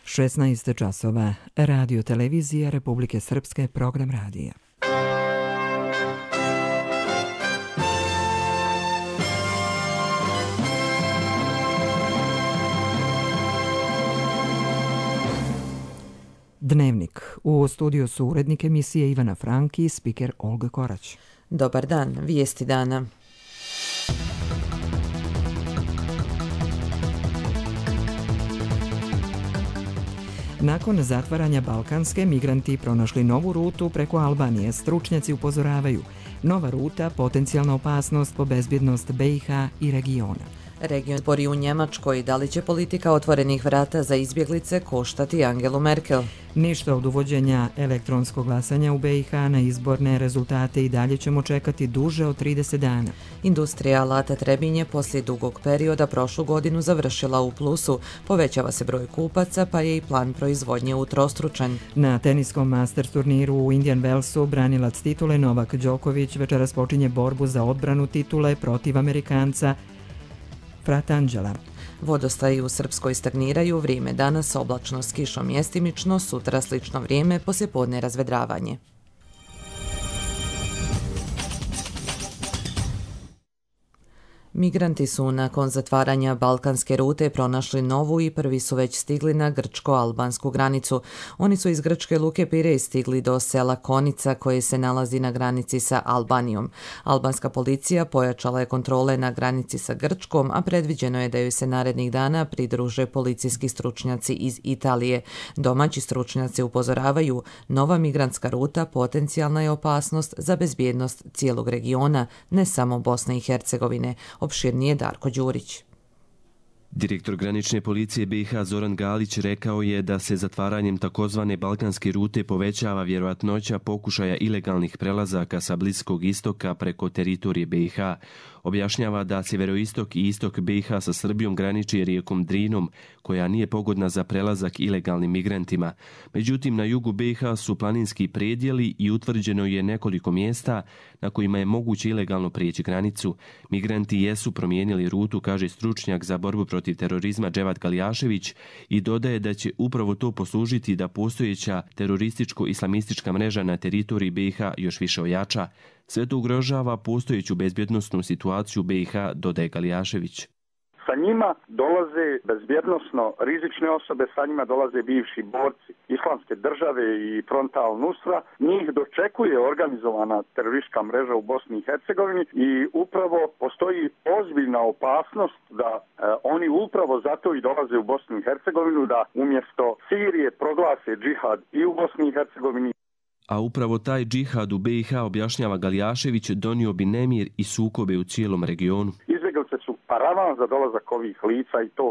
16 časova. Radio televizija Republike Srpske, program radija. Dnevnik. U studiju su urednik emisije Ivana Franki i spiker Olga Korać. Dobar dan, vijesti dana. Nakon zatvaranja Balkanske, migranti pronašli novu rutu preko Albanije. Stručnjaci upozoravaju, nova ruta potencijalna opasnost po bezbjednost BiH i regiona. Region spori u Njemačkoj, da li će politika otvorenih vrata za izbjeglice koštati Angelu Merkel? Ništa od uvođenja elektronskog glasanja u BiH, na izborne rezultate i dalje ćemo čekati duže od 30 dana. Industrija alata Trebinje poslije dugog perioda prošlu godinu završila u plusu. Povećava se broj kupaca, pa je i plan proizvodnje utrostručen. Na teniskom Masters turniru u Indian Wellsu branilac titule Novak Đoković večeras počinje borbu za odbranu titule protiv Amerikanca Fratangela. Vodostaji u Srpskoj stagniraju, vrijeme danas oblačno s kišom mjestimično, sutra slično vrijeme, poslijepodne razvedravanje. Migranti su nakon zatvaranja balkanske rute pronašli novu i prvi su već stigli na grčko-albansku granicu. Oni su iz grčke luke Pirej stigli do sela Konica koje se nalazi na granici sa Albanijom. Albanska policija pojačala je kontrole na granici sa Grčkom, a predviđeno je da joj se narednih dana pridruže policijski stručnjaci iz Italije. Domaći stručnjaci upozoravaju, nova migrantska ruta potencijalna je opasnost za bezbjednost cijelog regiona, ne samo Bosne i Hercegovine. Opširnije Darko Đurić. Direktor granične policije BiH Zoran Galić rekao je da se zatvaranjem takozvane balkanske rute povećava vjerojatnoća pokušaja ilegalnih prelazaka sa Bliskog istoka preko teritorije BiH. Objašnjava da sjeveroistok i istok BiH sa Srbijom graniči rijekom Drinom, koja nije pogodna za prelazak ilegalnim migrantima. Međutim, na jugu BiH su planinski predjeli i utvrđeno je nekoliko mjesta na kojima je moguće ilegalno prijeći granicu. Migranti jesu promijenili rutu, kaže stručnjak za borbu protiv terorizma Dževat Galjašević, i dodaje da će upravo to poslužiti da postojeća terorističko-islamistička mreža na teritoriji BiH još više ojača. Sve to ugrožava postojeću bezbjednosnu situaciju BiH, dodaje Galjašević. Sa njima dolaze bezbjednosno rizične osobe, sa njima dolaze bivši borci Islamske države i Fronta al-Nusra. Njih dočekuje organizovana teroristička mreža u Bosni i Hercegovini i upravo postoji ozbiljna opasnost da oni upravo zato i dolaze u Bosnu i Hercegovinu, da umjesto Sirije proglase džihad i u Bosni i Hercegovini. A upravo taj džihad u BiH, objašnjava Galjašević, donio bi nemir i sukobe u cijelom regionu. Izbjeglice su paravan za dolazak ovih lica i to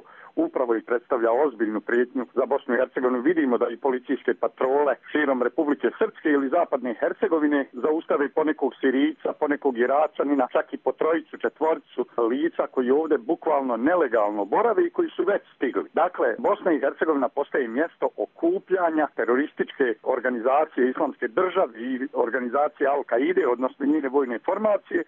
upravo i predstavlja ozbiljnu prijetnju za Bosnu i Hercegovinu. Vidimo da i policijske patrole širom Republike Srpske ili Zapadne Hercegovine zaustave ponekog Sirijca, ponekog Iračanina, čak i po trojicu, četvoricu lica koji ovdje bukvalno nelegalno borave i koji su već stigli. Dakle, Bosna i Hercegovina postaje mjesto okupljanja terorističke organizacije Islamske države i organizacije Al-Kaide, odnosno njene vojne formacije.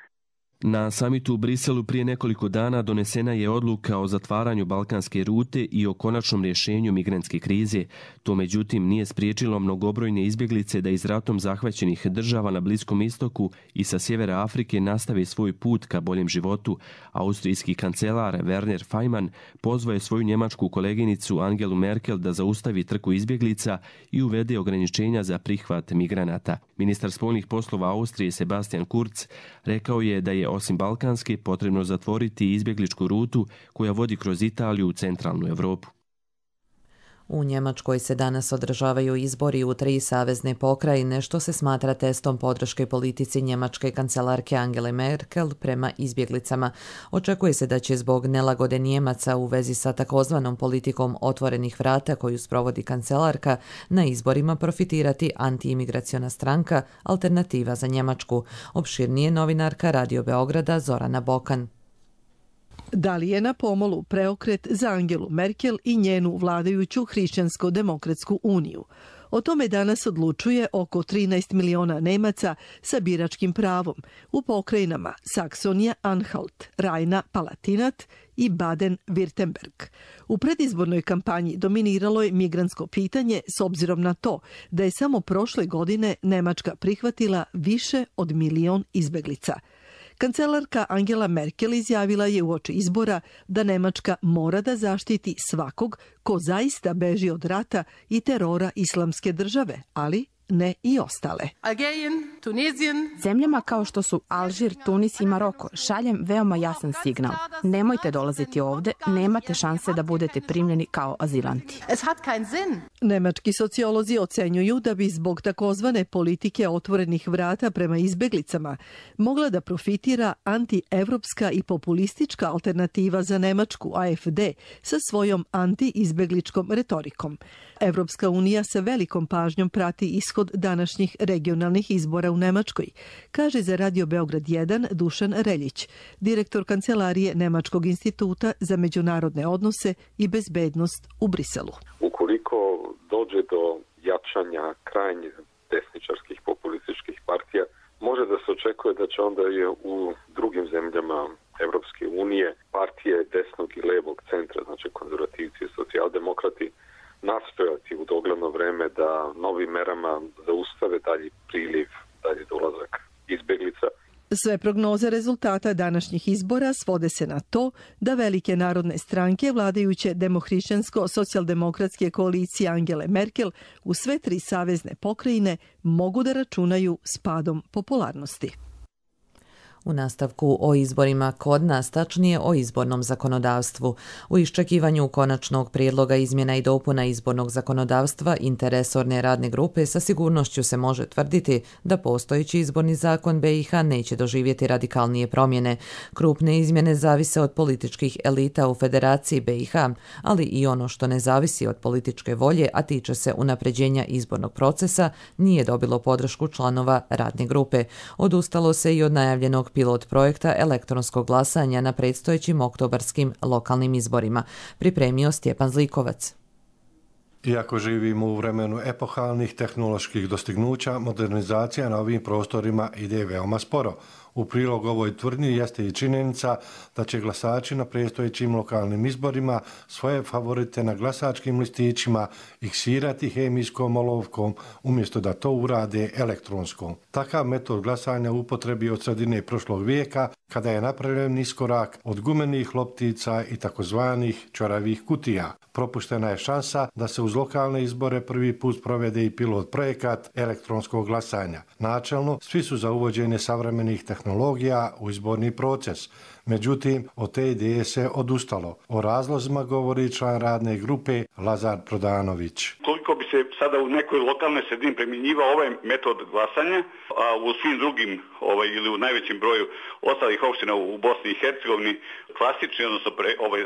Na samitu u Briselu prije nekoliko dana donesena je odluka o zatvaranju balkanske rute i o konačnom rješenju migrantske krize. To međutim nije spriječilo mnogobrojne izbjeglice da iz ratom zahvaćenih država na Bliskom istoku i sa sjevera Afrike nastave svoj put ka boljem životu. Austrijski kancelar Werner Faymann pozvao je svoju njemačku koleginicu Angelu Merkel da zaustavi trku izbjeglica i uvede ograničenja za prihvat migranata. Ministar spoljnih poslova Austrije Sebastian Kurz rekao je da je osim balkanske potrebno zatvoriti izbjegličku rutu koja vodi kroz Italiju u centralnu Europu. U Njemačkoj se danas održavaju izbori u 3 savezne pokrajine, što se smatra testom podrške politici njemačke kancelarke Angele Merkel prema izbjeglicama. Očekuje se da će zbog nelagode Njemaca u vezi sa takozvanom politikom otvorenih vrata koju sprovodi kancelarka na izborima profitirati antiimigraciona stranka Alternativa za Njemačku. Opširnije novinarka Radio Beograda Zorana Bokan. Da li je na pomolu preokret za Angelu Merkel i njenu vladajuću Hrišćansko-demokratsku uniju? O tome danas odlučuje oko 13 miliona Nemaca sa biračkim pravom u pokrajinama Saksonija, Anhalt, Rajna, Palatinat i Baden-Württemberg. U predizbornoj kampanji dominiralo je migrantsko pitanje s obzirom na to da je samo prošle godine Nemačka prihvatila više od 1 milion izbeglica. Kancelarka Angela Merkel izjavila je uoči izbora da Nemačka mora da zaštiti svakog ko zaista beži od rata i terora Islamske države, ali ne i ostale. Zemljama kao što su Alžir, Tunis i Maroko šaljem veoma jasan signal. Nemojte dolaziti ovde, nemate šanse da budete primljeni kao azilanti. Nemački sociolozi ocenjuju da bi zbog takozvane politike otvorenih vrata prema izbeglicama mogla da profitira antievropska i populistička alternativa za Nemačku, AfD, sa svojom anti-izbegličkom retorikom. Evropska unija sa velikom pažnjom prati ishod današnjih regionalnih izbora u Nemačkoj, kaže za Radio Beograd 1 Dušan Reljić, direktor kancelarije Nemačkog instituta za međunarodne odnose i bezbednost u Briselu. Ukoliko dođe do jačanja krajnjih desničarskih populističkih partija, može da se očekuje da će onda i u drugim zemljama Evropske unije partije desnog i levog centra, znači konzervativci i socijaldemokrati, nastojati u dogledno vreme da novim merama zaustave dalji priliv, dalji dolazak izbeglica. Sve prognoze rezultata današnjih izbora svode se na to da velike narodne stranke vladajuće demohrišćansko-socijaldemokratske koalicije Angele Merkel u sve 3 savezne pokrajine mogu da računaju s padom popularnosti. U nastavku o izborima kod nas, tačnije o izbornom zakonodavstvu. U iščekivanju konačnog prijedloga izmjena i dopuna izbornog zakonodavstva interresorne radne grupe sa sigurnošću se može tvrditi da postojeći izborni zakon BiH neće doživjeti radikalnije promjene. Krupne izmjene zavise od političkih elita u Federaciji BiH, ali i ono što ne zavisi od političke volje, a tiče se unapređenja izbornog procesa, nije dobilo podršku članova radne grupe. Odustalo se i od najavljenog pilot projekta elektronskog glasanja na predstojećim oktobarskim lokalnim izborima, pripremio Stjepan Zlikovac. Iako živimo u vremenu epohalnih tehnoloških dostignuća, modernizacija na ovim prostorima ide veoma sporo. U prilog ovoj tvrdnji jeste i činjenica da će glasači na predstojećim lokalnim izborima svoje favorite na glasačkim listićima iksirati hemijskom olovkom umjesto da to urade elektronskom. Takav metod glasanja u upotrebi od sredine prošlog vijeka kada je napravljen iskorak od gumenih loptica i takozvanih čoravih kutija. Propuštena je šansa da se uz lokalne izbore prvi put provede i pilot projekat elektronskog glasanja. Načelno, svi su za uvođenje savremenih tehnologija u izborni proces. Međutim, od te ideje se odustalo. O razlozima govori član radne grupe Lazar Prodanović. Koliko bi se sada u nekoj lokalnoj sredini primjenjivao ovaj metod glasanja, a u svim drugim ili u najvećem broju ostalih opština u Bosni i Hercegovini klasični, odnosno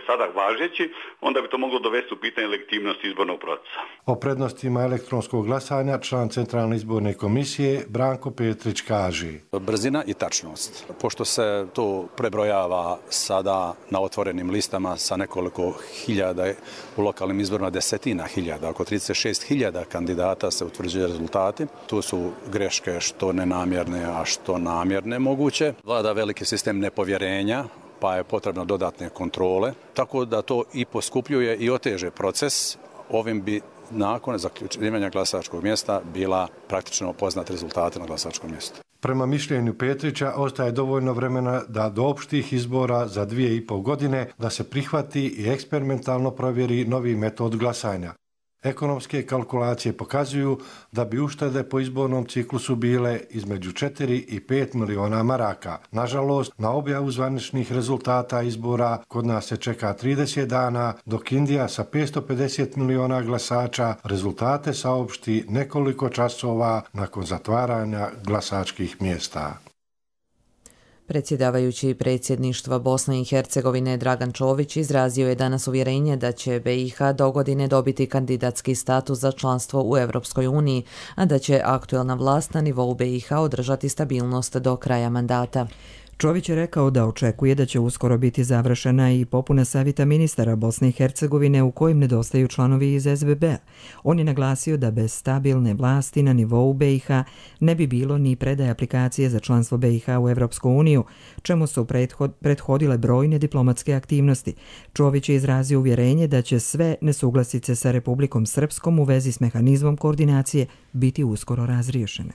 sada važeći, onda bi to moglo dovesti u pitanje legitimnosti izbornog procesa. O prednostima elektronskog glasanja član Centralne izborne komisije Branko Petrić kaže: brzina i tačnost. Pošto se to prebrojava sada na otvorenim listama sa nekoliko hiljada, u lokalnim izborima desetina hiljada, oko 36.000 kandidata se utvrđuju rezultati. Tu su greške što nenamjerne, a što namjerne moguće. Vlada veliki sistem nepovjerenja, pa je potrebno dodatne kontrole, tako da to i poskupljuje i oteže proces. Ovim bi nakon zaključivanja glasačkog mjesta bila praktično poznat rezultate na glasačkom mjestu. Prema mišljenju Petrića ostaje dovoljno vremena da do opštih izbora za 2,5 godine da se prihvati i eksperimentalno provjeri novi metod glasanja. Ekonomske kalkulacije pokazuju da bi uštede po izbornom ciklusu bile između 4 i 5 miliona maraka. Nažalost, na objavu zvaničnih rezultata izbora kod nas se čeka 30 dana, dok Indija sa 550 miliona glasača rezultate saopšti nekoliko časova nakon zatvaranja glasačkih mjesta. Predsjedavajući predsjedništva Bosne i Hercegovine Dragan Čović izrazio je danas uvjerenje da će BiH dogodine dobiti kandidatski status za članstvo u Europskoj uniji, a da će aktuelna vlast na nivou BiH održati stabilnost do kraja mandata. Čović je rekao da očekuje da će uskoro biti završena i popuna savjeta ministara Bosne i Hercegovine u kojem nedostaju članovi iz SBB-a. On je naglasio da bez stabilne vlasti na nivou BiH ne bi bilo ni predaje aplikacije za članstvo BiH u Evropsku uniju, čemu su prethodile brojne diplomatske aktivnosti. Čović je izrazio uvjerenje da će sve nesuglasice sa Republikom Srpskom u vezi s mehanizmom koordinacije biti uskoro razriješene.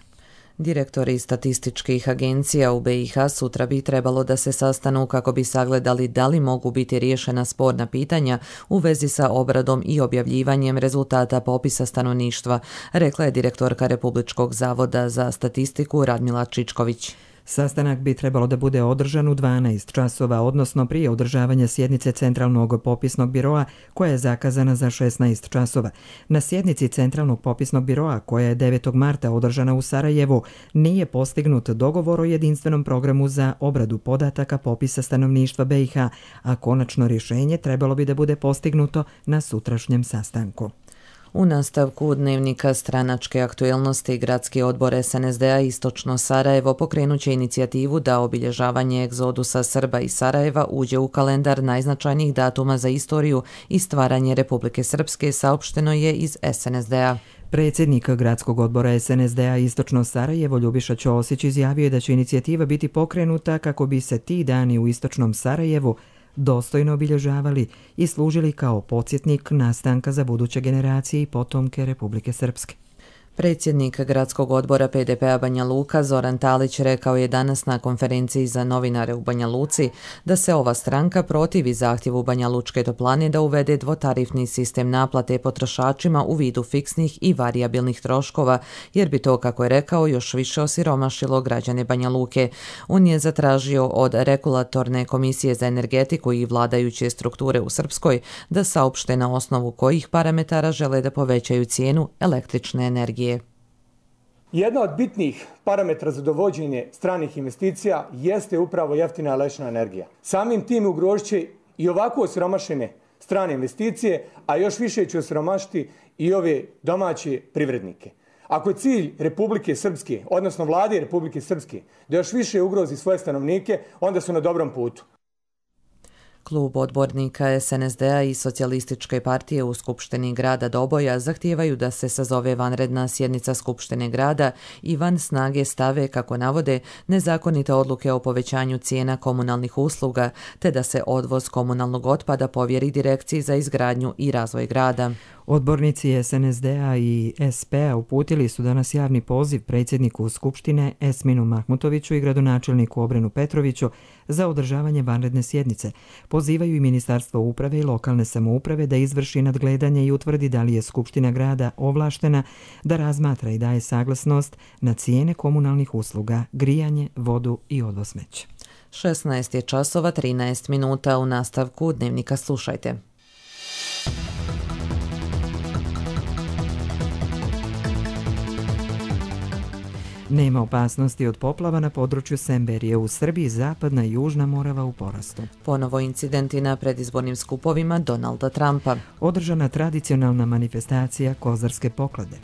Direktori statističkih agencija u BiH sutra bi trebalo da se sastanu kako bi sagledali da li mogu biti riješena sporna pitanja u vezi sa obradom i objavljivanjem rezultata popisa stanovništva, rekla je direktorka Republičkog zavoda za statistiku Radmila Čičković. Sastanak bi trebalo da bude održan u 12 časova, odnosno prije održavanja sjednice Centralnog popisnog biroa koja je zakazana za 16 časova. Na sjednici Centralnog popisnog biroa koja je 9. marta održana u Sarajevu nije postignut dogovor o jedinstvenom programu za obradu podataka popisa stanovništva BiH, a konačno rješenje trebalo bi da bude postignuto na sutrašnjem sastanku. U nastavku dnevnika stranačke aktuelnosti Gradski odbor SNSD-a Istočno Sarajevo pokrenut će inicijativu da obilježavanje egzodusa Srba iz Sarajeva uđe u kalendar najznačajnijih datuma za istoriju i stvaranje Republike Srpske, saopšteno je iz SNSD-a. Predsjednik Gradskog odbora SNSD-a Istočno Sarajevo Ljubiša Ćosić izjavio je da će inicijativa biti pokrenuta kako bi se ti dani u Istočnom Sarajevu dostojno obilježavali i služili kao podsjetnik nastanka za buduće generacije i potomke Republike Srpske. Predsjednik Gradskog odbora PDP-a Banja Luka Zoran Talić rekao je danas na konferenciji za novinare u Banja Luci da se ova stranka protivi zahtjevu Banja Lučke toplane da uvede dvotarifni sistem naplate potrošačima u vidu fiksnih i varijabilnih troškova, jer bi to, kako je rekao, još više osiromašilo građane Banja Luke. On je zatražio od Regulatorne komisije za energetiku i vladajuće strukture u Srpskoj da saopšte na osnovu kojih parametara žele da povećaju cijenu električne energije. Jedna od bitnih parametra za dovođenje stranih investicija jeste upravo jeftina električna energija. Samim tim ugrožit će i ovako osiromašene strane investicije, a još više će osiromašiti i ove domaće privrednike. Ako je cilj Republike Srpske, odnosno vlade Republike Srpske, da još više ugrozi svoje stanovnike, onda su na dobrom putu. Klub odbornika SNSD-a i Socijalističke partije u Skupštini grada Doboja zahtijevaju da se sazove vanredna sjednica Skupštine grada i van snage stave, kako navode, nezakonite odluke o povećanju cijena komunalnih usluga, te da se odvoz komunalnog otpada povjeri Direkciji za izgradnju i razvoj grada. Odbornici SNSD-a i SP-a uputili su danas javni poziv predsjedniku Skupštine Esminu Mahmutoviću i gradonačelniku Obrenu Petroviću za održavanje vanredne sjednice. Pozivaju i Ministarstvo uprave i lokalne samouprave da izvrši nadgledanje i utvrdi da li je Skupština grada ovlaštena da razmatra i daje saglasnost na cijene komunalnih usluga, grijanje, vodu i odvoz smeća. 16 je časova 13 minuta. U nastavku dnevnika slušajte. Nema opasnosti od poplava na području Semberije u Srbiji, zapadna i južna Morava u porastu. Ponovo incidenti na predizbornim skupovima Donalda Trumpa. Održana tradicionalna manifestacija kozarske poklade.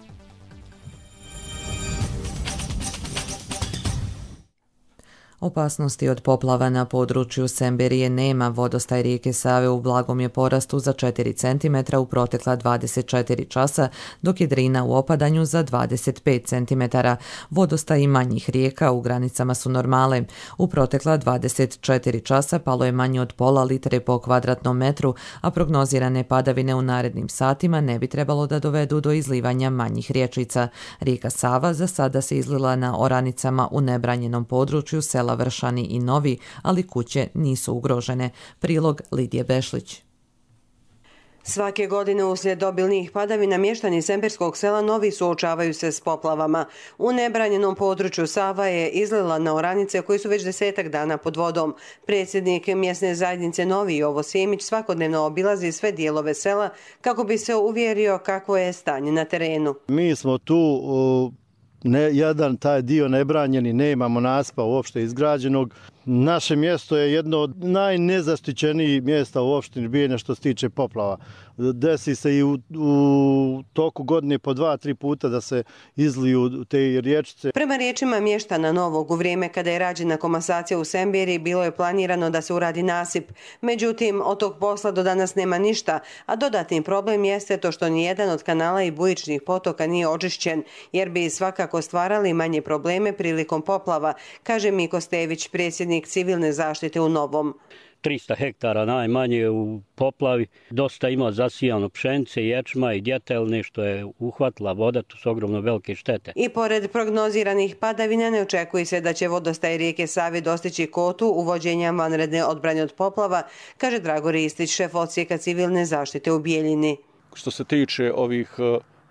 Opasnosti od poplava na području Semberije nema. Vodostaj rijeke Save u blagom je porastu za 4 cm u protekla 24 časa, dok je Drina u opadanju za 25 cm. Vodostaj manjih rijeka u granicama su normale. U protekla 24 časa palo je manje od pola litre po kvadratnom metru, a prognozirane padavine u narednim satima ne bi trebalo da dovedu do izlivanja manjih riječica. Rijeka Sava za sada se izlila na oranicama u nebranjenom području sela Vršani i Novi, ali kuće nisu ugrožene. Prilog Lidije Bešlić. Svake godine uslijed obilnih padavina mještani semberskog sela Novi suočavaju se s poplavama. U nebranjenom području Sava je izlila na oranice koje su već 10 dana pod vodom. Predsjednik mjesne zajednice Novi Jovo Simić svakodnevno obilazi sve dijelove sela kako bi se uvjerio kakvo je stanje na terenu. Mi smo tu jedan taj dio nebranjeni, nemamo nasipa uopšte izgrađenog. Naše mjesto je jedno od najnezaštićenijih mjesta u opštini Bijeljina što se tiče poplava. Desi se i u toku godine po 2-3 puta da se izliju te riječice. Prema riječima mještana Novog, u vrijeme kada je rađena komasacija u Sembiri bilo je planirano da se uradi nasip. Međutim, od tog posla do danas nema ništa, a dodatni problem jeste to što nijedan od kanala i bujičnih potoka nije očišćen, jer bi svakako stvarali manje probleme prilikom poplava, kaže Miko Stević, predsjednik civilne zaštite u Novom. 300 hektara najmanje u poplavi, dosta ima zasijano pšenice, ječma i djetelne što je uhvatila voda, to su ogromno velike štete. I pored prognoziranih padavina ne očekuje se da će vodostaj rijeke Save dostići kotu uvođenja vanredne odbrane od poplava, kaže Drago Ristić, šef odsjeka civilne zaštite u Bijeljini. Što se tiče ovih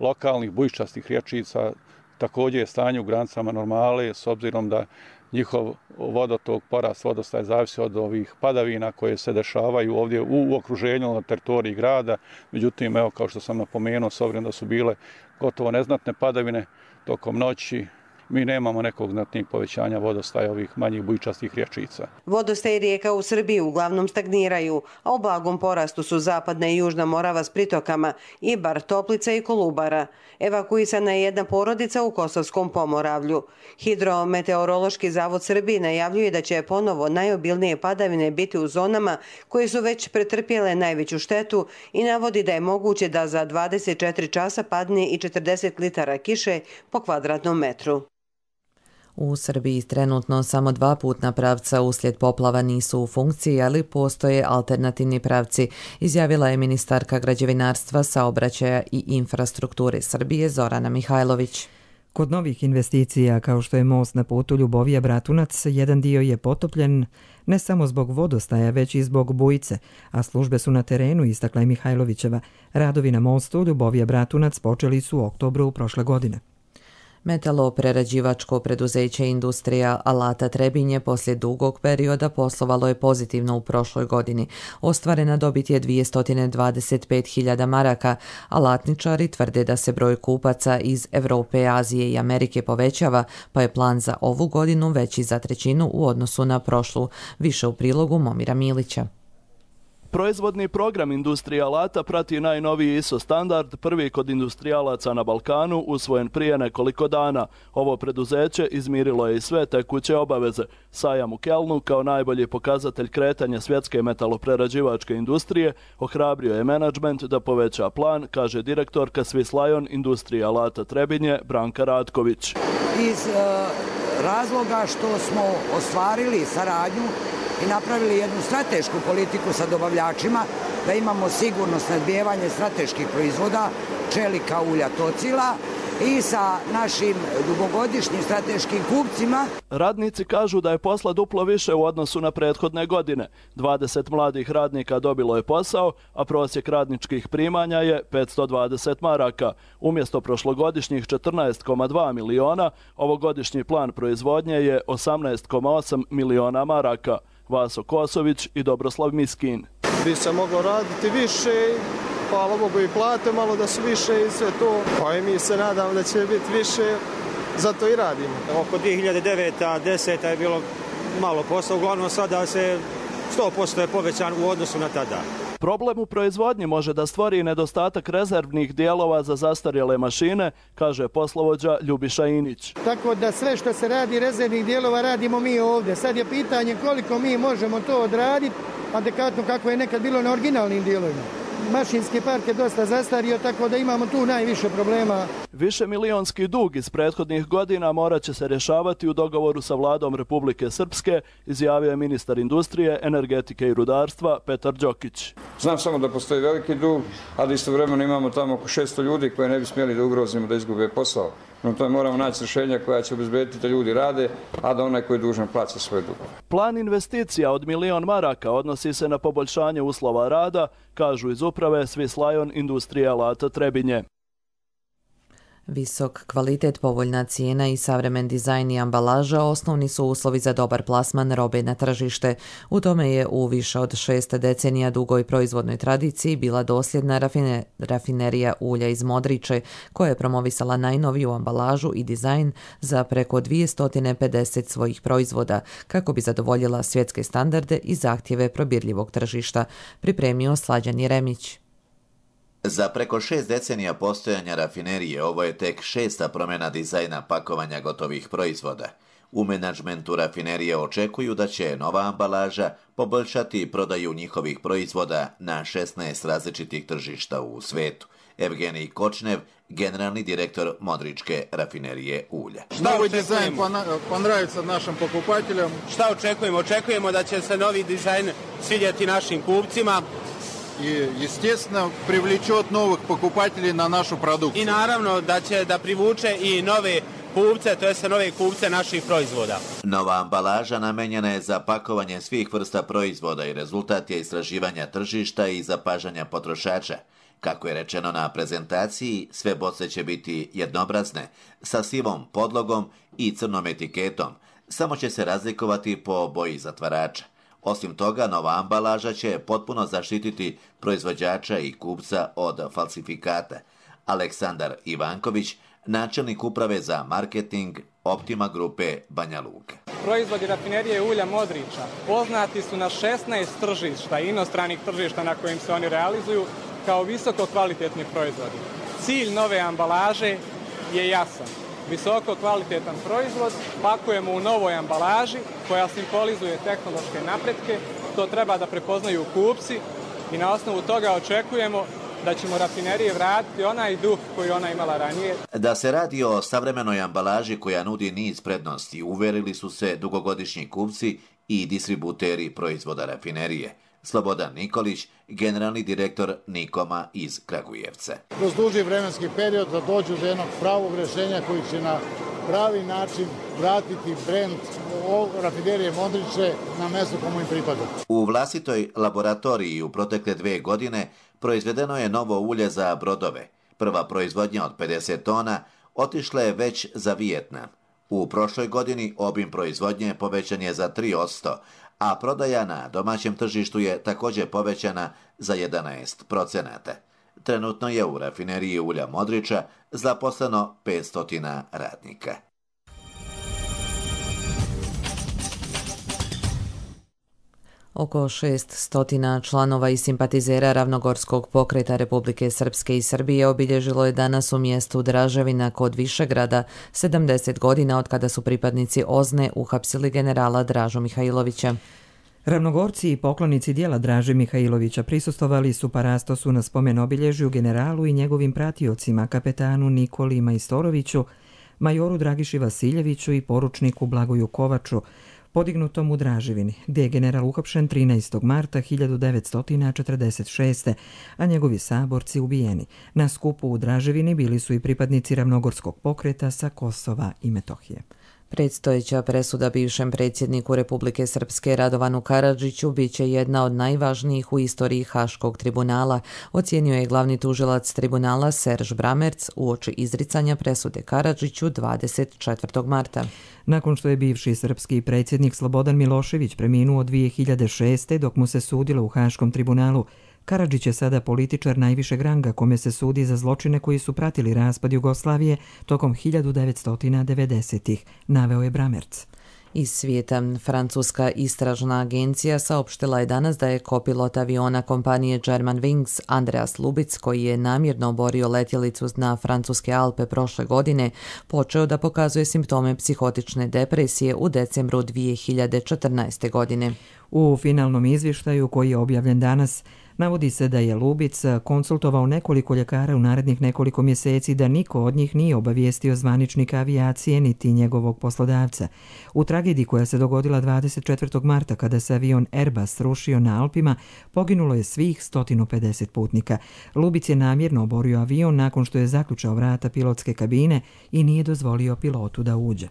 lokalnih bujičastih riječica, također je stanje u granicama normale, s obzirom da njihov vodotok, porast vodostaja zavisi od ovih padavina koje se dešavaju ovdje u okruženju na teritoriji grada. Međutim, evo, kao što sam napomenuo, s obzirom da su bile gotovo neznatne padavine tokom noći, mi nemamo nekog znatnijeg povećanja vodostaja ovih manjih bujičastih riječica. Vodostaj rijeka u Srbiji uglavnom stagniraju, a u blagom porastu su zapadna i južna Morava s pritokama, Ibar, Toplica i Kolubara. Evakuisana je jedna porodica u Kosovskom Pomoravlju. Hidrometeorološki zavod Srbije najavljuje da će ponovo najobilnije padavine biti u zonama koje su već pretrpjele najveću štetu i navodi da je moguće da za 24 časa padne i 40 litara kiše po kvadratnom metru. U Srbiji trenutno samo 2 putna pravca uslijed poplava nisu u funkciji, ali postoje alternativni pravci, izjavila je ministarka građevinarstva, saobraćaja i infrastrukture Srbije Zorana Mihajlović. Kod novih investicija, kao što je most na putu Ljubovija-Bratunac, jedan dio je potopljen ne samo zbog vodostaja, već i zbog bujice, a službe su na terenu, istakla je Mihajlovićeva. Radovi na mostu Ljubovija-Bratunac počeli su u oktobru prošle godine. Metaloprerađivačko preduzeće Industrija alata Trebinje poslije dugog perioda poslovalo je pozitivno u prošloj godini. Ostvarena dobit je 225.000 maraka. Alatničari tvrde da se broj kupaca iz Evrope, Azije i Amerike povećava, pa je plan za ovu godinu veći za 1/3 u odnosu na prošlu. Više u prilogu Momira Milića. Proizvodni program Industrija alata prati najnoviji ISO standard, prvi kod industrijalaca na Balkanu, usvojen prije nekoliko dana. Ovo preduzeće izmirilo je i sve tekuće obaveze. Sajam u Kelnu, kao najbolji pokazatelj kretanja svjetske metaloprerađivačke industrije, ohrabrio je menadžment da poveća plan, kaže direktorka Swiss Lion Industrija alata Trebinje Branka Ratković. Iz razloga što smo ostvarili saradnju i napravili jednu stratešku politiku sa dobavljačima, da imamo sigurno snabdijevanje strateških proizvoda, čelika, ulja, tocila i sa našim dugogodišnjim strateškim kupcima. Radnici kažu da je posla duplo više u odnosu na prethodne godine. 20 mladih radnika dobilo je posao, a prosjek radničkih primanja je 520 maraka. Umjesto prošlogodišnjih 14,2 miliona, ovogodišnji plan proizvodnje je 18,8 miliona maraka. Vaso Kosović i Dobroslav Miskin. Bi se moglo raditi više, hvala Bogu i plate malo da su više i sve to. Pa i mi se nadamo da će biti više, zato i radimo. Oko 2009-10 je bilo malo posla, uglavnom sada se 100% je povećan u odnosu na tada. Problem u proizvodnji može da stvori nedostatak rezervnih dijelova za zastarjele mašine, kaže poslovođa Ljubiša Inić. Tako da sve što se radi rezervnih dijelova radimo mi ovdje. Sad je pitanje koliko mi možemo to odraditi, adekvatno kako je nekad bilo na originalnim dijelovima. Mašinski park je dosta zastario, tako da imamo tu najviše problema. Višemilionski dug iz prethodnih godina morat će se rješavati u dogovoru sa vladom Republike Srpske, izjavio je ministar industrije, energetike i rudarstva Petar Đokić. Znam samo da postoji veliki dug, ali istovremeno imamo tamo oko 600 ljudi koje ne bi smjeli da ugrozimo da izgube posao. No to moramo naći rješenja koja će obezbediti da ljudi rade, a da onaj koji je dužan plaća svoj dug. Plan investicija od 1.000.000 maraka odnosi se na poboljšanje uslova rada, kažu iz uprave Swiss Lion Industrija alata Trebinje. Visok kvalitet, povoljna cijena i savremen dizajn i ambalaža osnovni su uslovi za dobar plasman robe na tržište. U tome je u više od 6 decenija dugoj proizvodnoj tradiciji bila dosljedna rafinerija ulja iz Modriče, koja je promovisala najnoviju ambalažu i dizajn za preko 250 svojih proizvoda, kako bi zadovoljila svjetske standarde i zahtjeve probirljivog tržišta, pripremio Slađan Jeremić. Za preko 6 decenija postojanja rafinerije ovo je tek 6. promjena dizajna pakovanja gotovih proizvoda. U menadžmentu rafinerije očekuju da će nova ambalaža poboljšati prodaju njihovih proizvoda na 16 različitih tržišta u svetu. Evgenij Kočnev, generalni direktor Modričke rafinerije ulja. Novi dizajn ponravится našim pokupateljima. Šta očekujemo? Očekujemo da će se novi dizajn svidjeti našim kupcima. И, естественно, привлечет новых покупателей на нашу продукцию. I naravno da će da privuče i nove kupce, to jest nove kupce naših proizvoda. Nova ambalaža namenjena je za pakovanje svih vrsta proizvoda i rezultat je istraživanja tržišta i zapažanja potrošača. Kako je rečeno na prezentaciji, sve boce će biti jednobrazne, sa sivom podlogom i crnom etiketom, samo će se razlikovati po boji zatvarača. Osim toga, nova ambalaža će potpuno zaštititi proizvođača i kupca od falsifikata. Aleksandar Ivanković, načelnik uprave za marketing Optima grupe Banja Luka. Proizvodi rafinerije ulja Modriča poznati su na 16 tržišta i inostranih tržišta na kojim se oni realizuju kao visoko kvalitetni proizvodi. Cilj nove ambalaže je jasan. Visoko kvalitetan proizvod pakujemo u novoj ambalaži koja simbolizuje tehnološke napretke. To treba da prepoznaju kupci i na osnovu toga očekujemo da ćemo rafinerije vratiti onaj duh koji ona imala ranije. Da se radi o savremenoj ambalaži koja nudi niz prednosti, uverili su se dugogodišnji kupci i distributeri proizvoda rafinerije. Slobodan Nikolić, generalni direktor Nikoma iz Kragujevca. Kroz duži vremenski period da dođu do jednog pravog rješenja koji će na pravi način vratiti brend rafinerije Modriče na mjesto komu im pripada. U vlastitoj laboratoriji u protekle 2 godine proizvedeno je novo ulje za brodove. Prva proizvodnja od 50 tona otišla je već za Vijetnam. U prošloj godini obim proizvodnje povećan je za 3%, a prodaja na domaćem tržištu je također povećana za 11%. Trenutno je u rafineriji ulja Modriča zaposleno 500 radnika. Oko 600 članova i simpatizera Ravnogorskog pokreta Republike Srpske i Srbije obilježilo je danas u mjestu Draževina kod Višegrada 70 godina od kada su pripadnici OZNE uhapsili generala Dražu Mihajlovića. Ravnogorci i poklonici dijela Draže Mihajlovića prisustvovali su parastosu na spomen obilježju generalu i njegovim pratiocima, kapetanu Nikoli Majstoroviću, majoru Dragiši Vasiljeviću i poručniku Blagoju Kovaču, podignutom u Draževini, gdje je general uhapšen 13. marta 1946. a njegovi saborci ubijeni. Na skupu u Draževini bili su i pripadnici Ravnogorskog pokreta sa Kosova i Metohije. Predstojeća presuda bivšem predsjedniku Republike Srpske Radovanu Karadžiću biće jedna od najvažnijih u istoriji Haškog tribunala, ocijenio je glavni tužilac tribunala Serž Bramerc uoči izricanja presude Karadžiću 24. marta. Nakon što je bivši srpski predsjednik Slobodan Milošević preminuo 2006. dok mu se sudilo u Haškom tribunalu, Karadžić je sada političar najvišeg ranga kome se sudi za zločine koji su pratili raspad Jugoslavije tokom 1990-ih, naveo je Bramerc. Iz svijeta, francuska istražna agencija saopštila je danas da je kopilot aviona kompanije Germanwings Andreas Lubitz, koji je namjerno oborio letjelicu na francuske Alpe prošle godine, počeo da pokazuje simptome psihotične depresije u decembru 2014. godine. U finalnom izvještaju koji je objavljen danas, navodi se da je Lubic konsultovao nekoliko ljekara u narednih nekoliko mjeseci, da niko od njih nije obavijestio zvaničnika avijacije niti njegovog poslodavca. U tragediji koja se dogodila 24. marta kada se avion Airbus srušio na Alpima, poginulo je svih 150 putnika. Lubic je namjerno oborio avion nakon što je zaključao vrata pilotske kabine i nije dozvolio pilotu da uđe.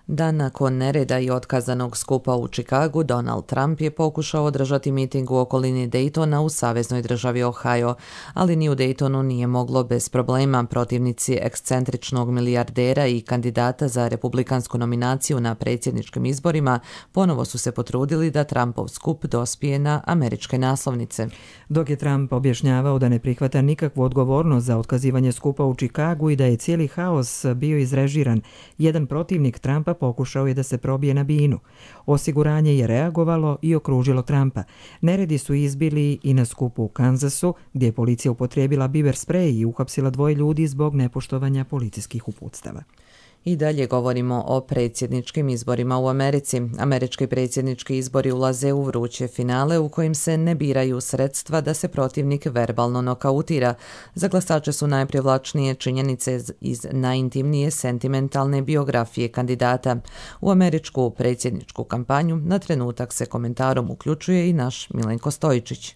Dan nakon nereda i otkazanog skupa u Chicagu, Donald Trump je pokušao održati miting u okolini Daytona u saveznoj državi Ohio, ali ni u Daytonu nije moglo bez problema. Protivnici ekscentričnog milijardera i kandidata za republikansku nominaciju na predsjedničkim izborima ponovo su se potrudili da Trumpov skup dospije na američke naslovnice. Dok je Trump objašnjavao da ne prihvata nikakvu odgovornost za otkazivanje skupa u Chicagu i da je cijeli haos bio izrežiran, jedan protivnik Trumpa pokušao je da se probije na binu. Osiguranje je reagovalo i okružilo Trumpa. Neredi su izbili i na skupu u Kansasu, gdje je policija upotrijebila biber sprej i uhapsila 2 ljudi zbog nepoštovanja policijskih uputstava. I dalje govorimo o predsjedničkim izborima u Americi. Američki predsjednički izbori ulaze u vruće finale u kojim se ne biraju sredstva da se protivnik verbalno nokautira. Za glasače su najprivlačnije činjenice iz najintimnije sentimentalne biografije kandidata. U američku predsjedničku kampanju na trenutak se komentarom uključuje i naš Milenko Stojičić.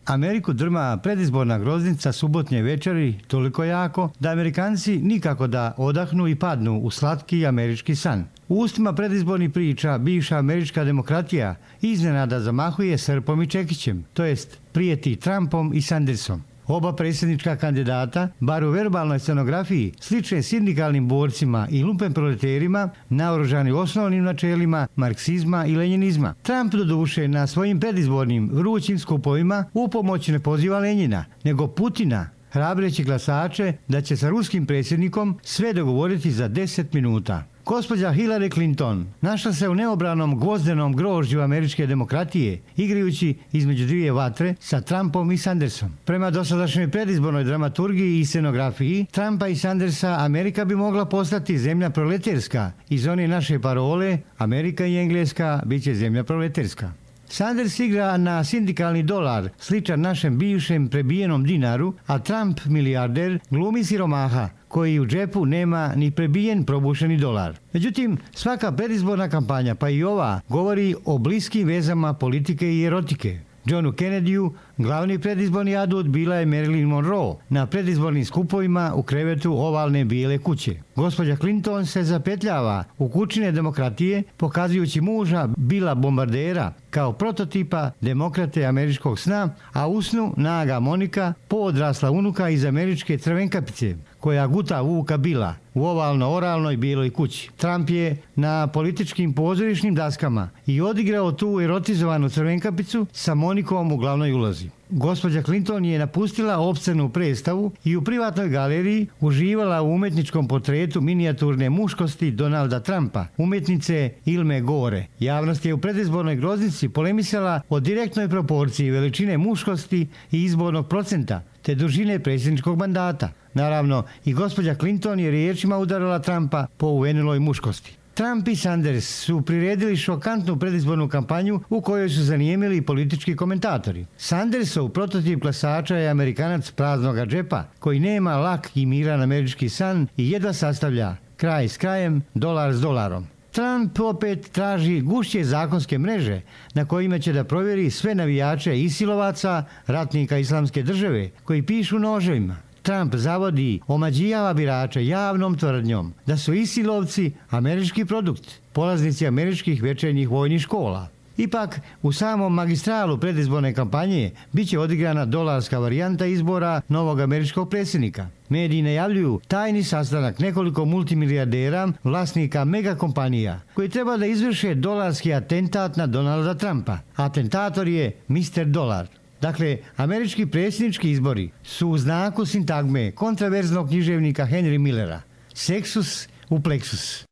Ameriku drma predizborna groznica subotnje večeri toliko jako da Amerikanci nikako da odahnu i padnu u slatki američki san. U ustima predizbornih priča bivša američka demokratija iznenada zamahuje srpom i čekićem, to jest prijeti Trumpom i Sandersom. Oba predsjednička kandidata, bar u verbalnoj scenografiji, slične sindikalnim borcima i lumpen proleterima, naoružani osnovnim načelima marksizma i lenjinizma. Trump doduše na svojim predizbornim vrućim skupovima upomoć ne poziva Lenjina, nego Putina, hrabreći glasače da će sa ruskim predsjednikom sve dogovoriti za 10 minuta. Gospođa Hillary Clinton našla se u neobranom gvozdenom grožđu američke demokratije, igrajući između 2 vatre sa Trumpom i Sandersom. Prema dosadašnjoj predizbornoj dramaturgiji i scenografiji, Trumpa i Sandersa Amerika bi mogla postati zemlja proleterska. Iz one naše parole, Amerika i Engleska bit će zemlja proleterska. Sanders igra na sindikalni dolar, sličan našem bivšem prebijenom dinaru, a Trump, milijarder, glumi siromaha, koji u džepu nema ni prebijen probušeni dolar. Međutim, svaka predizborna kampanja, pa i ova, govori o bliskim vezama politike i erotike. Johnu Kennedyu glavni predizborni adut bila je Marilyn Monroe na predizbornim skupovima u krevetu ovalne bijele kuće. Gospođa Clinton se zapetljava u kućine demokratije, pokazujući muža Billa Bombardera kao prototipa demokrate američkog sna, a u snu naga Monika, poodrasla unuka iz američke crvenkapice, koja guta Vuka Billa u ovalno-oralnoj bijeloj kući. Trump je na političkim pozorišnim daskama i odigrao tu erotizovanu crvenkapicu sa Monikom u glavnoj ulozi. Gospođa Clinton je napustila opscenu predstavu i u privatnoj galeriji uživala u umetničkom portretu minijaturne muškosti Donalda Trumpa, umjetnice Ilme Gore. Javnost je u predizbornoj groznici polemisala o direktnoj proporciji veličine muškosti i izbornog procenta, te dužine predsjedničkog mandata. Naravno, i gospođa Clinton je riječima udarala Trumpa po uveniloj muškosti. Trump i Sanders su priredili šokantnu predizbornu kampanju u kojoj su zanijemili politički komentatori. Sandersov prototip glasača je Amerikanac praznoga džepa, koji nema lak i miran američki san i jedva sastavlja kraj s krajem, dolar s dolarom. Trump opet traži gušće zakonske mreže na kojima će da provjeri sve navijače isilovaca, ratnika islamske države, koji pišu noževima. Trump zavodi, omađijava birače javnom tvrdnjom da su isilovci američki produkt, polaznici američkih večernjih vojnih škola. Ipak, u samom magistralu predizborne kampanje bit će odigrana dolarska varijanta izbora novog američkog predsjednika. Mediji najavljuju tajni sastanak nekoliko multimilijardera, vlasnika megakompanija, koji treba da izvrše dolarski atentat na Donalda Trumpa. Atentator je Mr. Dolar. Dakle, američki predsjednički izbori su u znaku sintagme kontraverznog književnika Henry Millera. Sexus u plexus.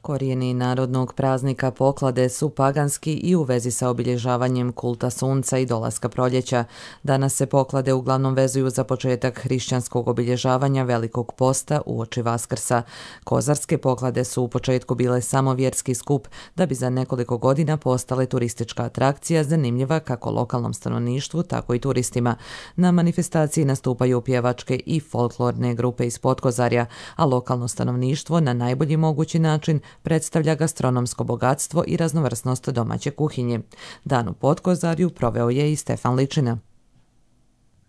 Korijeni narodnog praznika Poklade su paganski i u vezi sa obilježavanjem kulta sunca i dolaska proljeća. Danas se Poklade uglavnom vezuju za početak hrišćanskog obilježavanja Velikog posta uoči Vaskrsa. Kozarske Poklade su u početku bile samo vjerski skup, da bi za nekoliko godina postale turistička atrakcija zanimljiva kako lokalnom stanovništvu, tako i turistima. Na manifestaciji nastupaju pjevačke i folklorne grupe iz Potkozarja, a lokalno stanovništvo na najbolji mogući način predstavlja gastronomsko bogatstvo i raznovrsnost domaće kuhinje. Dan u Potkozarju proveo je i Stefan Ličina.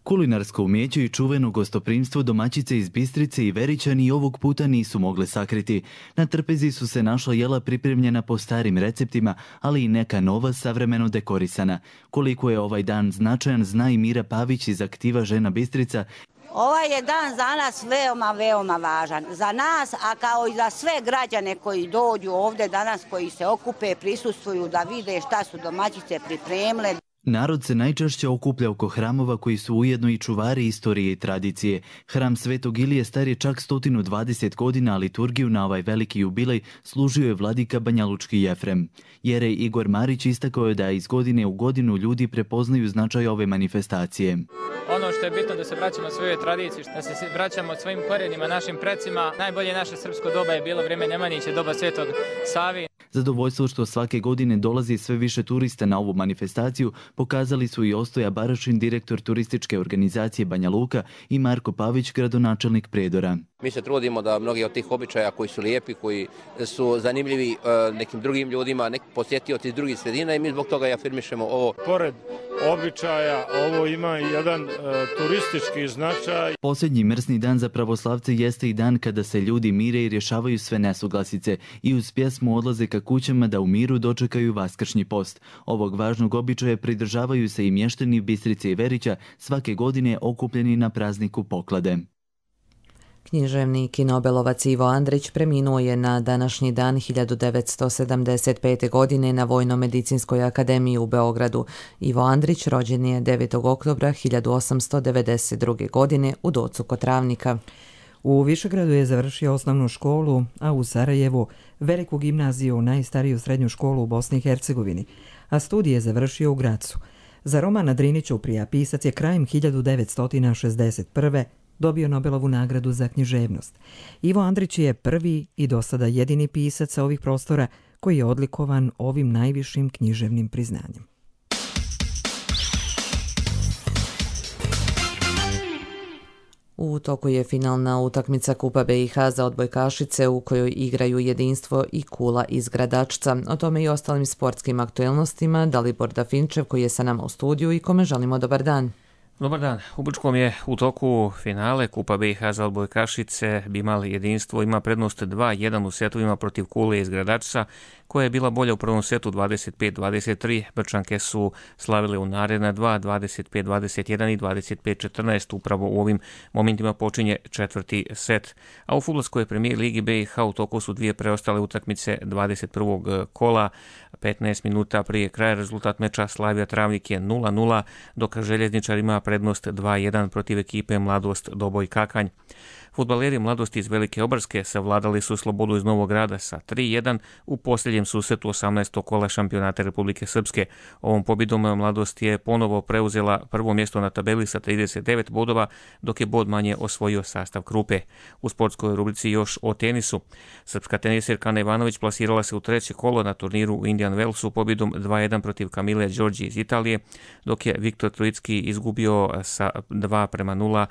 Kulinarsko umijeće i čuveno gostoprimstvo domaćice iz Bistrice i Veričani ovog puta nisu mogle sakriti. Na trpezi su se našla jela pripremljena po starim receptima, ali i neka nova savremeno dekorisana. Koliko je ovaj dan značajan, zna i Mira Pavić iz Aktiva Žena Bistrica. Ovaj je dan za nas veoma važan. Za nas, a kao i za sve građane koji dođu ovdje danas, koji se okupe, prisustvuju da vide šta su domaćice pripremile. Narod se najčešće okuplja oko hramova koji su ujedno i čuvari istorije i tradicije. Hram Svetog Ilije star je čak 120 godina, a liturgiju na ovaj veliki jubilej služio je vladika Banjalučki Jefrem. Jerej Igor Marić istakao je da iz godine u godinu ljudi prepoznaju značaj ove manifestacije. Ono što je bitno da se vraćamo svojoj tradiciji, da se vraćamo svojim korijenima, našim precima. Najbolje naše srpsko doba je bilo vrijeme Nemanjića, doba Svetog Savi. Zadovoljstvo što svake godine dolazi sve više turista na ovu manifestaciju pokazali su i Ostoja Barašin, direktor turističke organizacije Banja Luka, i Marko Pavić, gradonačelnik Prijedora. Mi se trudimo da mnogi od tih običaja koji su lijepi, koji su zanimljivi nekim drugim ljudima, neki posjetioci iz drugih sredina, i mi zbog toga i afirmišemo ovo. Pored običaja, ovo ima jedan turistički značaj. Posljednji mrsni dan za pravoslavce jeste i dan kada se ljudi mire i rješavaju sve nesuglasice i uz pjesmu odlaze ka kućama da u miru dočekaju vaskršnji post. Ovog važnog običaja pridržavaju se i mještani Bistrice i Verića, svake godine okupljeni na prazniku Poklade. Književnik i nobelovac Ivo Andrić preminuo je na današnji dan 1975. godine na Vojno-medicinskoj akademiji u Beogradu. Ivo Andrić rođen je 9. oktobra 1892. godine u Docu kod Travnika. U Višegradu je završio osnovnu školu, a u Sarajevu veliku gimnaziju, najstariju srednju školu u Bosni i Hercegovini, a studije je završio u Gracu. Za roman Drinić Ćuprija pisac je krajem 1961. dobio Nobelovu nagradu za književnost. Ivo Andrić je prvi i do sada jedini pisac sa ovih prostora koji je odlikovan ovim najvišim književnim priznanjem. U toku je finalna utakmica Kupa BiH za odbojkašice u kojoj igraju Jedinstvo i Kula iz Gradačca. O tome i ostalim sportskim aktuelnostima Dalibor Dafinčev koji je sa nama u studiju i kome želimo dobar dan. Dobar dan. U Brčkom je u toku finale Kupa BiH za odbojkašice. Bimal Jedinstvo ima prednost 2-1 u setovima protiv Kule iz Gradačca, koja je bila bolja u prvom setu 25-23. Brčanke su slavile u naredna 25-21 i 25-14. Upravo u ovim momentima počinje četvrti set. A u fudbalskoj premijer ligi BiH u toku su dvije preostale utakmice 21. kola. 15 minuta prije kraja rezultat meča Slavija Travnik je 0-0, dok Željezničar ima prednost 2-1 protiv ekipe Mladost Doboj Kakanj. Fudbaleri Mladosti iz Velike Obrske savladali su Slobodu iz Novog Grada sa 3-1 u posljednjem susretu 18. kola šampionata Republike Srpske. Ovom pobjedom Mladost je ponovo preuzela prvo mjesto na tabeli sa 39 bodova, dok je bod manje osvojio sastav Krupe. U sportskoj rubrici još o tenisu. Srpska tenisirka Ana Ivanović plasirala se u treće kolo na turniru u Indian Wellsu pobjedom 2-1 protiv Kamile Đorđi iz Italije, dok je Viktor Trojicki izgubio sa 2-0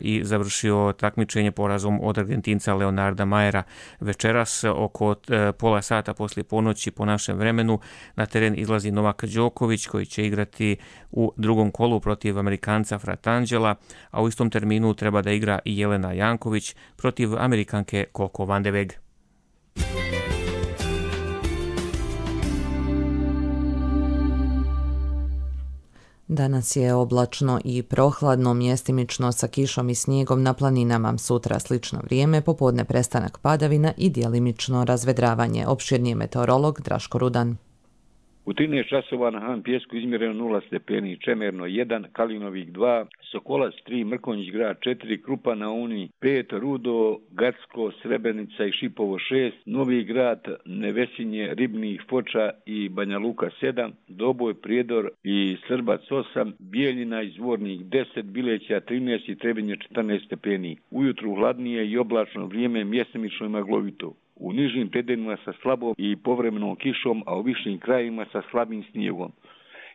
i završio takmičenje porazom od Argentinca Leonarda Majera. Večeras oko pola sata poslije ponoći po našem vremenu na teren izlazi Novak Đoković koji će igrati u drugom kolu protiv Amerikanca Fratangela, a u istom terminu treba da igra i Jelena Janković protiv Amerikanke Coco Van de Weg. Danas je oblačno i prohladno, mjestimično sa kišom i snijegom na planinama. Sutra slično vrijeme, popodne prestanak padavina i djelimično razvedravanje. Opširniji meteorolog Draško Rudan. U 13 časova na Han Pjesku izmjereno 0 stepeni, Čemerno 1, Kalinovik 2, Sokolac 3, Mrkonjić grad 4, Krupa na Uni 5, Rudo, Gacko, Srebrenica i Šipovo 6, Novi grad, Nevesinje, Ribnih, Foča i Banja Luka 7, Doboj, Prijedor i Srbac 8, Bijeljina i Zvornik 10, Bileća 13 i Trebinje 14 stepeni. Ujutru hladnije i oblačno vrijeme, mjestimično i maglovito. U nižim predelima sa slabom i povremenom kišom, a u višim krajevima sa slabim snijegom.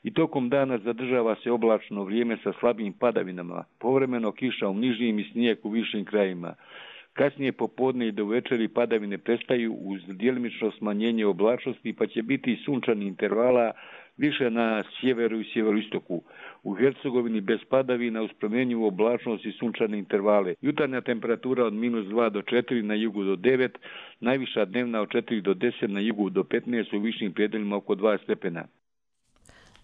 I tokom dana zadržava se oblačno vrijeme sa slabim padavinama, povremeno kiša u nižim i snijeg u višim krajevima. Kasnije popodne i do večeri padavine prestaju uz djelimično smanjenje oblačnosti, pa će biti sunčani intervala više na sjeveru i sjeveroistoku. U Hercegovini bez padavina uz promjenjivu oblačnost i sunčane intervale. Jutarnja temperatura od -2 do 4, na jugu do 9, najviša dnevna od 4 do 10, na jugu do 15, u višim predelima oko 2 stepena.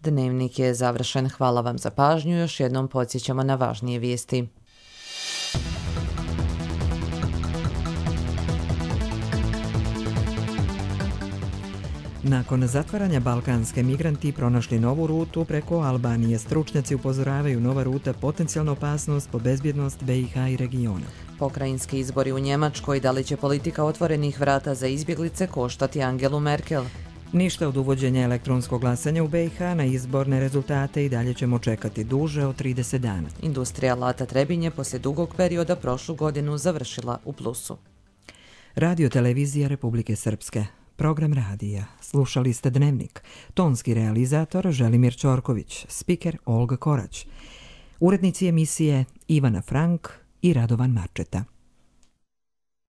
Dnevnik je završen. Hvala vam za pažnju. Još jednom podsjećamo na važnije vijesti. Nakon zatvaranja Balkanske, migranti pronašli novu rutu preko Albanije. Stručnjaci upozoravaju, nova ruta potencijalna opasnost po bezbjednost BiH i regiona. Pokrajinski izbori u Njemačkoj, da li će politika otvorenih vrata za izbjeglice koštati Angelu Merkel? Ništa od uvođenja elektronskog glasanja u BiH, na izborne rezultate i dalje ćemo čekati duže od 30 dana. Industrija Lata Trebinje poslije dugog perioda prošlu godinu završila u plusu. Radio televizija Republike Srpske. Program radija. Slušali ste Dnevnik. Tonski realizator Želimir Ćorković, spiker Olga Korać. Urednici emisije Ivana Frank i Radovan Marčeta.